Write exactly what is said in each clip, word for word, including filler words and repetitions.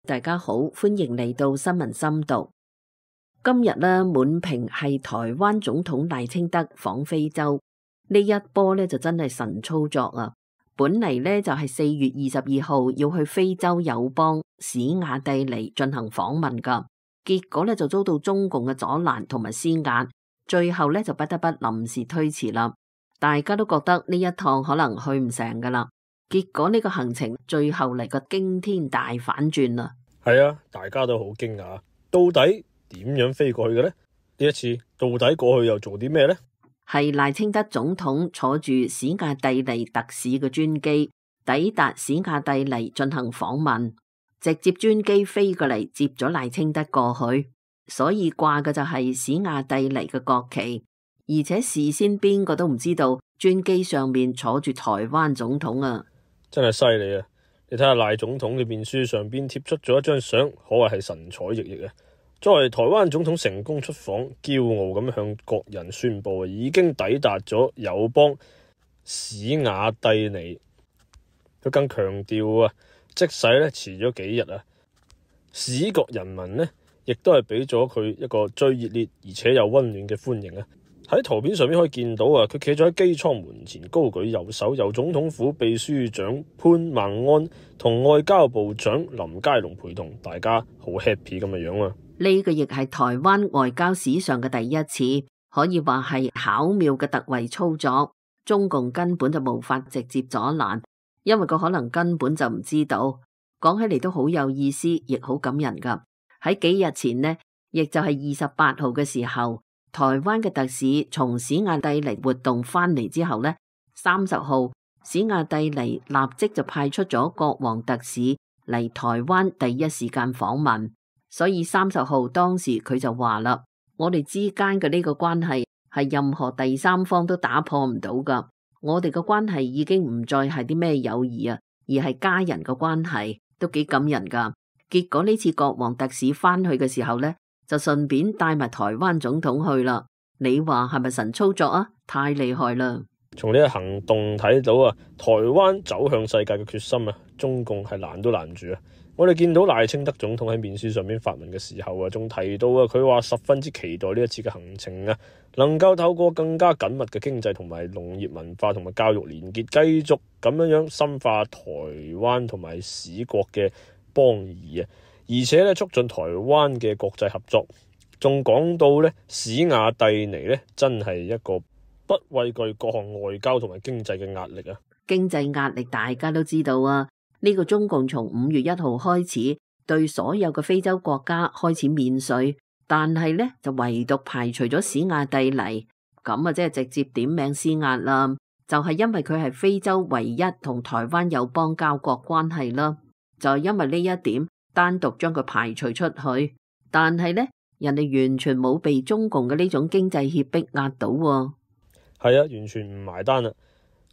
大家好，歡迎嚟到新聞深度。今日呢，滿屏係台灣總統賴清德訪非洲，呢一波呢就真係神操作啊！本嚟呢就係四月二十二號要去非洲友邦史亞帝尼進行訪問噶，結果呢就遭到中共嘅阻攔同埋施壓，最後呢就不得不臨時推遲啦。大家都覺得呢一趟可能去唔成噶啦。結果呢個行程最後嚟個驚天大反轉啦！係啊，大家都好驚訝，到底點樣飛過去嘅呢？呢一次到底過去又做啲咩呢？係賴清德總統坐住史亞帝尼特使嘅專機抵達史亞帝尼進行訪問，直接專機飛過嚟接咗賴清德過去，所以掛嘅就係史亞帝尼嘅國旗，而且事先邊個都唔知道專機上面坐住台灣總統啊！真係犀利啊！你睇下賴總統嘅面書上邊貼出咗一張相，可謂係神采奕奕啊！作為台灣總統成功出訪，驕傲咁向國人宣布已經抵達咗友邦史亞帝尼。佢更強調啊，即使咧遲咗幾日啊，史國人民呢亦都係俾咗佢一個最熱烈而且又溫暖嘅歡迎啊！喺圖片上面可以見到啊，佢企咗喺機艙門前，高舉右手，由總統府秘書長潘孟安同外交部長林佳龍陪同，大家好 happy 咁嘅樣啊！呢個亦係台灣外交史上嘅第一次，可以話係巧妙嘅突圍操作。中共根本就無法直接阻攔，因為佢可能根本就唔知道。講起嚟都好有意思，亦好感人噶。喺幾日前呢，亦就係二十八號嘅時候，台灣嘅特使從史亞帝尼活動翻嚟之後呢，三十號史亞帝尼立即就派出咗國王特使嚟台灣第一時間訪問，所以三十號當時佢就話啦：我哋之間嘅呢個關係係任何第三方都打破唔到噶，我哋嘅關係已經唔再係啲咩友誼啊，而係家人嘅關係，都幾感人噶。結果呢次國王特使翻去嘅時候呢，就順便帶埋台灣總統去啦。你話係咪神操作啊？太厲害啦！從呢個行動睇到啊，台灣走向世界嘅決心啊，中共係攔都攔住啊！我哋見到賴清德總統喺面書上面發文嘅時候啊，仲提到啊，佢話十分之期待呢一次嘅行程啊，能夠透過更加緊密嘅經濟同埋農業文化同埋教育連結，繼續咁樣樣深化台灣同埋史國嘅邦誼啊！而且咧，促進台灣嘅國際合作，仲講到咧，史亞帝尼咧真係一個不畏懼各項外交同埋經濟嘅壓力啊！經濟壓力大家都知道啊，呢個中共從五月一號開始對所有嘅非洲國家開始免稅，但係咧就唯獨排除咗史亞帝尼，咁啊即係直接點名施壓啦，就係因為佢係非洲唯一同台灣友邦交國關係啦，就係因為呢一點。單獨將佢排除出去，但係呢，人哋完全冇被中共嘅呢種經濟脅迫壓到喎。係啊，完全唔埋單啦，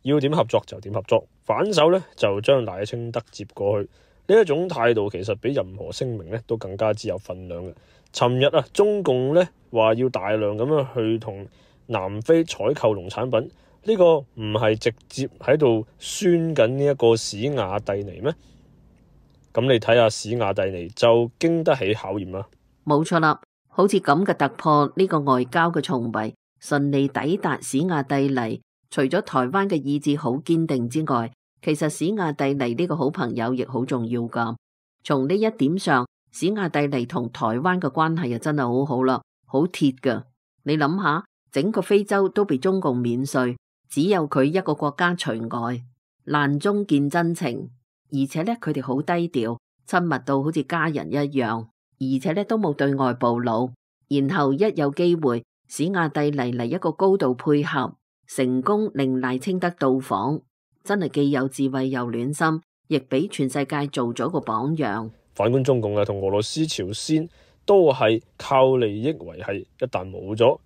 要點合作就點合作，反手呢，就將賴清德接過去。呢一種態度其實比任何聲明呢都更加之有分量嘅。尋日啊，中共呢話要大量咁樣去同南非採購農產品，呢個唔係直接喺度宣緊呢一個史亞帝尼咩？咁你睇下史亞帝尼就經得起考驗啦。冇錯啦，好似咁嘅突破，呢個外交嘅重圍順利抵達史亞帝尼，除咗台灣嘅意志好堅定之外，其實史亞帝尼呢個好朋友亦好重要噶。從呢一點上，史亞帝尼同台灣嘅關係啊真係好好啦，好鐵噶。你諗下，整個非洲都被中共免稅，只有佢一個國家除外，難中見真情。而且咧，佢哋好低調，親密到好似家人一樣，而且咧都冇對外暴露。然後一有機會，史亞帝尼嚟一個高度配合，成功令賴清德到訪，真係既有智慧又暖心，亦俾全世界做咗個榜樣。反觀中共啊，同俄羅斯、朝鮮都係靠利益維繫，一旦冇咗，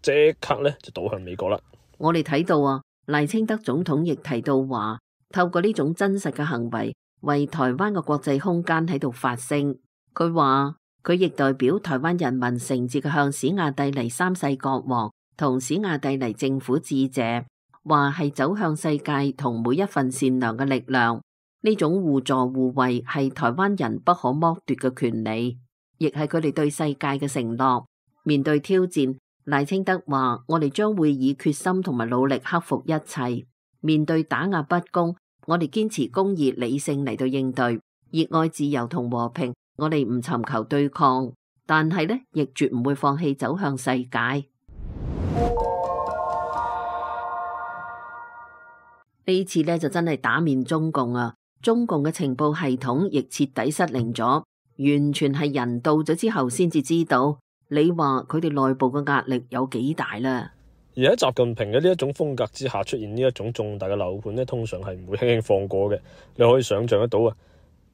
即刻咧就倒向美國啦。我哋睇到啊，賴清德總統亦提到話，透過呢種真實嘅行為，為台灣嘅國際空間喺度發聲。佢話佢亦代表台灣人民誠摯嘅向史亞帝尼三世國王同史亞帝尼政府致謝，話係走向世界同每一份善良嘅力量。呢種互助互惠係台灣人不可剝奪嘅權利，亦係佢哋對世界嘅承諾。面對挑戰，賴清德話：我哋將會以決心同埋努力克服一切。面對打壓不公，我哋堅持公義理性嚟到應對，熱愛自由同和平。我哋唔尋求對抗，但係呢亦絕唔會放棄走向世界。呢次呢就真係打面中共啊！中共嘅情報系統亦徹底失靈咗，完全係人到咗之後先至知道。你話佢哋內部嘅壓力有幾大啦？而喺習近平嘅呢一種風格之下出現呢一種重大嘅樓盤呢，通常係唔會輕輕放過嘅。你可以想象得到啊，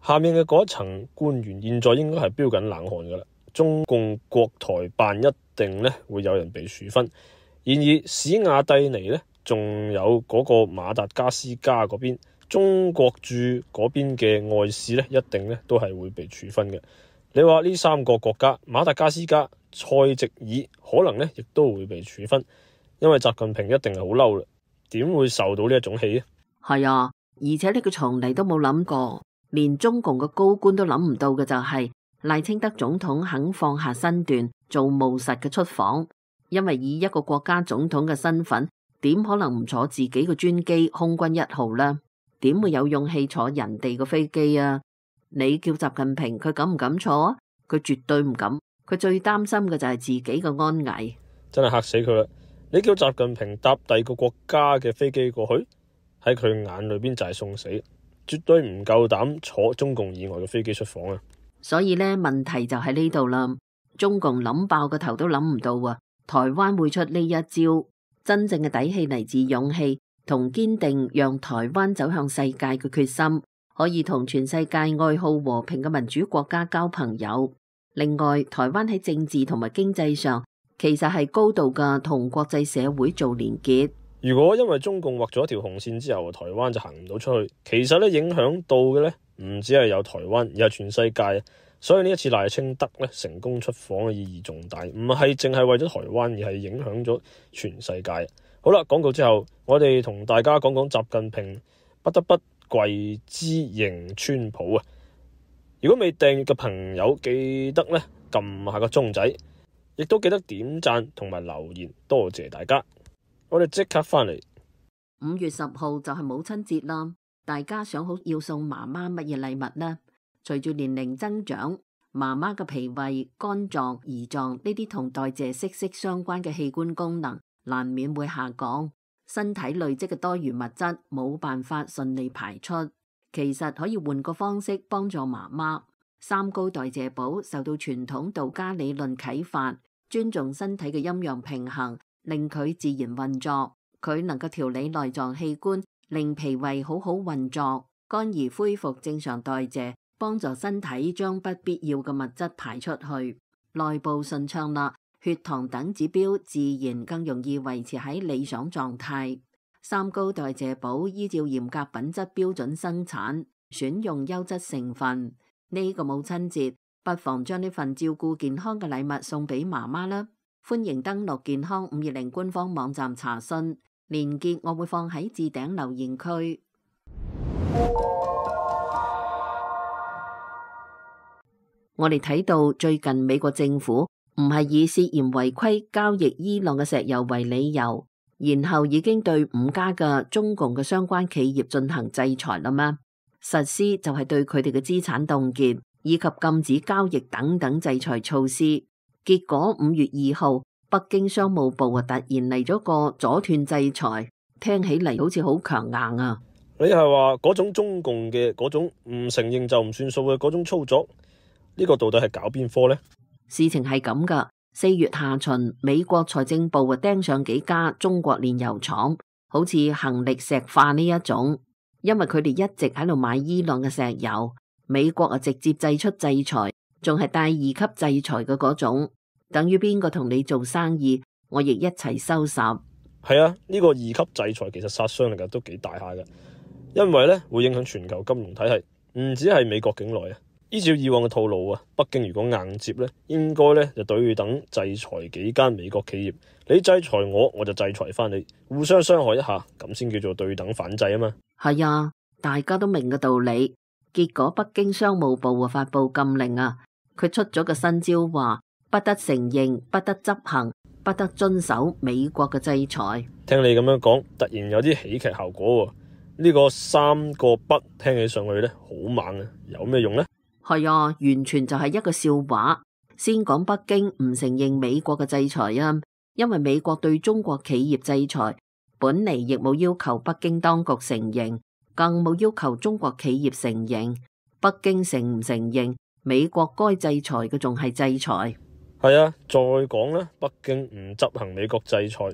下面嘅嗰一層官員現在應該係飆緊冷汗噶啦。中共國台辦一定呢會有人被處分。然而史瓦蒂尼呢，仲有嗰個馬達加斯加嗰邊，中國駐嗰邊嘅外事呢，一定呢都係會被處分嘅。你話呢三個國家，馬達加斯加、塞席爾可能呢亦都會被處分，因為習近平一定係好嬲啦，點會受到呢一種氣啊？係啊，而且呢個從嚟都冇諗過，連中共嘅高官都諗唔到嘅就係賴清德總統肯放下身段做務實嘅出訪，因為以一個國家總統嘅身份，點可能唔坐自己嘅專機空軍一號呢？點會有勇氣坐人哋嘅飛機啊？你叫習近平佢敢唔敢坐啊？佢絕對唔敢，佢最擔心嘅就係自己嘅安危。真係嚇死佢啦！你叫習近平搭第二個國家嘅飛機過去，喺佢眼裏邊就係送死，絕對唔夠膽坐中共以外嘅飛機出訪啊！所以呢，問題就喺呢度啦。中共諗爆個頭都諗唔到啊！台灣會出呢一招，真正嘅底氣嚟自勇氣同堅定，讓台灣走向世界嘅決心。可以同全世界愛好和平嘅民主國家交朋友。另外，台灣喺政治同埋經濟上，其實係高度嘅同國際社會做連結。如果因為中共劃咗一條紅線之後，台灣就行唔到出去，其實咧影響到嘅咧唔只係有台灣，而係全世界。所以呢一次賴清德咧成功出訪嘅意義重大，唔係淨係為咗台灣，而係影響咗全世界。好啦，廣告之後，我哋同大家講講習近平不得不跪姿迎川普啊！如果未訂閱嘅朋友，記得咧撳下個鐘仔，亦都記得點讚同埋留言，多謝大家。我哋即刻翻嚟。五月十號就係母親節啦，大家想好要送媽媽乜嘢禮物呢？隨住年齡增長，媽媽嘅脾胃、肝臟、胰臟呢啲同代謝息息相關嘅器官功能，難免會下降。身體累積嘅多餘物質冇辦法順利排出，其實可以換個方式幫助媽媽。三高代謝寶受到傳統道家理論啟發，尊重身體嘅陰陽平衡，令佢自然運作。佢能夠調理內臟器官，令脾胃好好運作，肝兒恢復正常代謝，幫助身體將不必要嘅物質排出去，內部順暢啦。血糖等指標自然更容易維持喺理想狀態。三高代謝寶依照嚴格品質標準生產，選用優質成分。呢個母親節，不妨將呢份照顧健康嘅禮物送俾媽媽啦。歡迎登錄健康五二零官方網站查詢，連結我會放喺置頂留言區。我哋睇到最近美國政府唔係以涉嫌違規交易伊朗嘅石油為理由，然後已經對五家嘅中共嘅相關企業進行制裁啦咩？實施就係對佢哋嘅資產凍結以及禁止交易等等制裁措施。結果五月二號，北京商務部啊突然嚟咗個阻斷制裁，聽起嚟好似好強硬啊！你係話嗰種中共嘅嗰種唔承認就唔算數嘅嗰種操作，呢個到底係搞邊科呢？事情係咁噶，四月下旬，美國財政部啊盯上幾家中國煉油廠，好似恒力石化呢一種，因為佢哋一直喺度買伊朗嘅石油，美國啊直接制出制裁，仲係帶二級制裁嘅嗰種，等於邊個同你做生意，我亦一齊收拾。係啊，呢個二級制裁其實殺傷力都幾大下嘅，因為咧會影響全球金融體系，唔止係美國境內啊。依照以往嘅套路啊，北京如果硬接咧，應該咧就對等制裁幾間美國企業，你制裁我，我就制裁翻你，互相傷害一下，咁先叫做對等反制啊嘛。係啊，大家都明嘅道理。結果北京商務部啊發布禁令啊，佢出咗個新招話，不得承認、不得執行、不得遵守美國嘅制裁。聽你咁樣講，突然有啲喜劇效果喎。呢個三個不聽起上去咧好猛啊，有咩用呢？係啊，完全就係一個笑話。先講北京唔承認美國嘅制裁啊，因為美國對中國企業制裁本嚟亦冇要求北京當局承認，更冇要求中國企業承認。北京承唔承認，美國該制裁嘅仲係制裁。係啊，再講啦，北京唔執行美國制裁，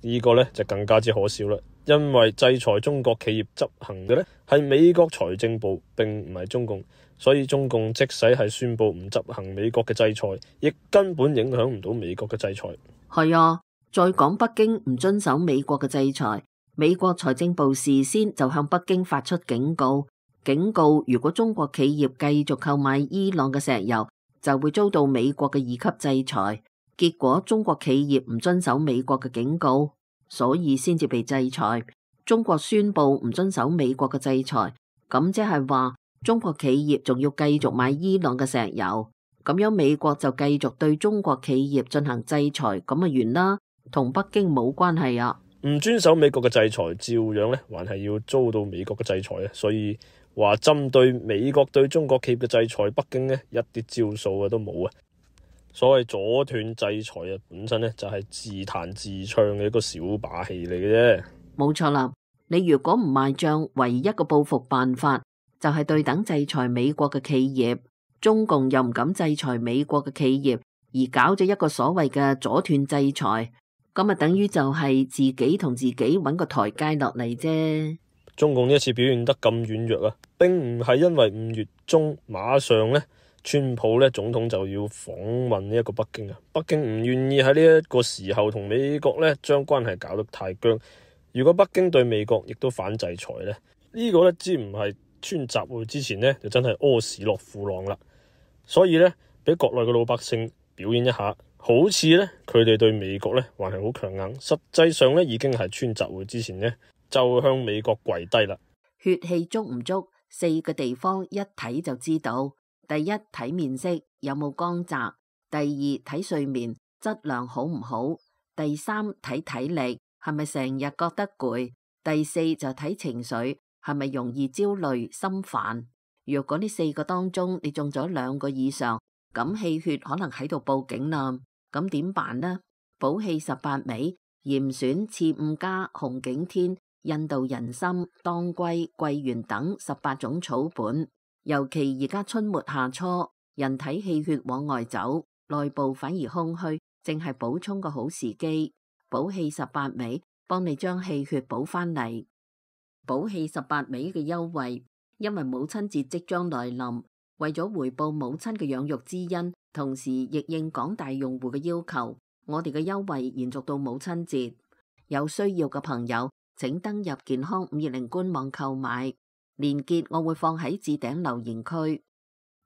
呢個咧就更加之可笑啦。因為制裁中國企業執行嘅咧係美國財政部，並唔係中共，所以中共即使係宣布唔執行美國嘅制裁，亦根本影響唔到美國嘅制裁。係啊，再講北京唔遵守美國嘅制裁，美國財政部事先就向北京發出警告，警告如果中國企業繼續購買伊朗嘅石油，就會遭到美國嘅二級制裁。結果中國企業唔遵守美國嘅警告，所以先至被制裁。中國宣布唔遵守美國嘅制裁，咁即係話中國企業仲要繼續買伊朗嘅石油，咁樣美國就繼續對中國企業進行制裁，咁啊完啦，同北京冇關係啊。唔遵守美國嘅制裁，照樣咧還係要遭到美國嘅制裁啊。所以話針對美國對中國企業嘅制裁，北京呢一啲招數啊都冇啊。所謂阻斷制裁啊，本身咧就係自彈自唱嘅一個小把戲嚟嘅啫。冇錯啦，你如果唔賣賬，唯一個報復辦法就係對等制裁美國嘅企業。中共又唔敢制裁美國嘅企業，而搞咗一個所謂嘅阻斷制裁，咁啊等於就係自己同自己搵個台階落嚟啫。中共呢一次表現得咁軟弱啊，並唔係因為五月中馬上咧，川普咧總統就要訪問呢一個北京啊。北京唔願意喺呢一個時候同美國咧將關係搞得太僵。如果北京對美國亦都反制裁咧，呢個咧只唔係川習會之前咧，就真係屙屎落褲浪啦。所以咧，俾國內嘅老百姓表演一下，好似咧佢哋對美國咧還係好強硬，實際上咧已經係川習會之前咧就向美國跪低啦。血氣足唔足，四個地方一睇就知道。第一，睇面色有冇光澤；第二，睇睡眠質量好唔好；第三，睇體力係咪成日覺得攰；第四就睇情緒係咪容易焦慮心煩。如果呢四個當中你中咗兩個以上，咁氣血可能喺度報警啦。咁點辦呢？補氣十八味、嚴選、刺五加、紅景天、印度人參、當歸、桂圓等十八種草本。尤其而家春末夏初，人體氣血往外走，內部反而空虛，正係補充個好時機。補氣十八味幫你將氣血補翻嚟。補氣十八味嘅優惠，因為母親節即將來臨，為咗回報母親嘅養育之恩，同時亦應廣大用戶嘅要求，我哋嘅優惠延續到母親節。有需要嘅朋友，請登入健康五二零官網購買，鏈接我會放喺置頂留言區。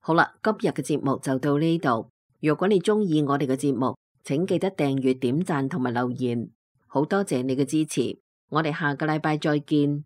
好啦，今日嘅節目就到呢度。如果你中意我哋嘅節目，請記得訂閱、點讚同埋留言。好多謝你嘅支持，我哋下個禮拜再見。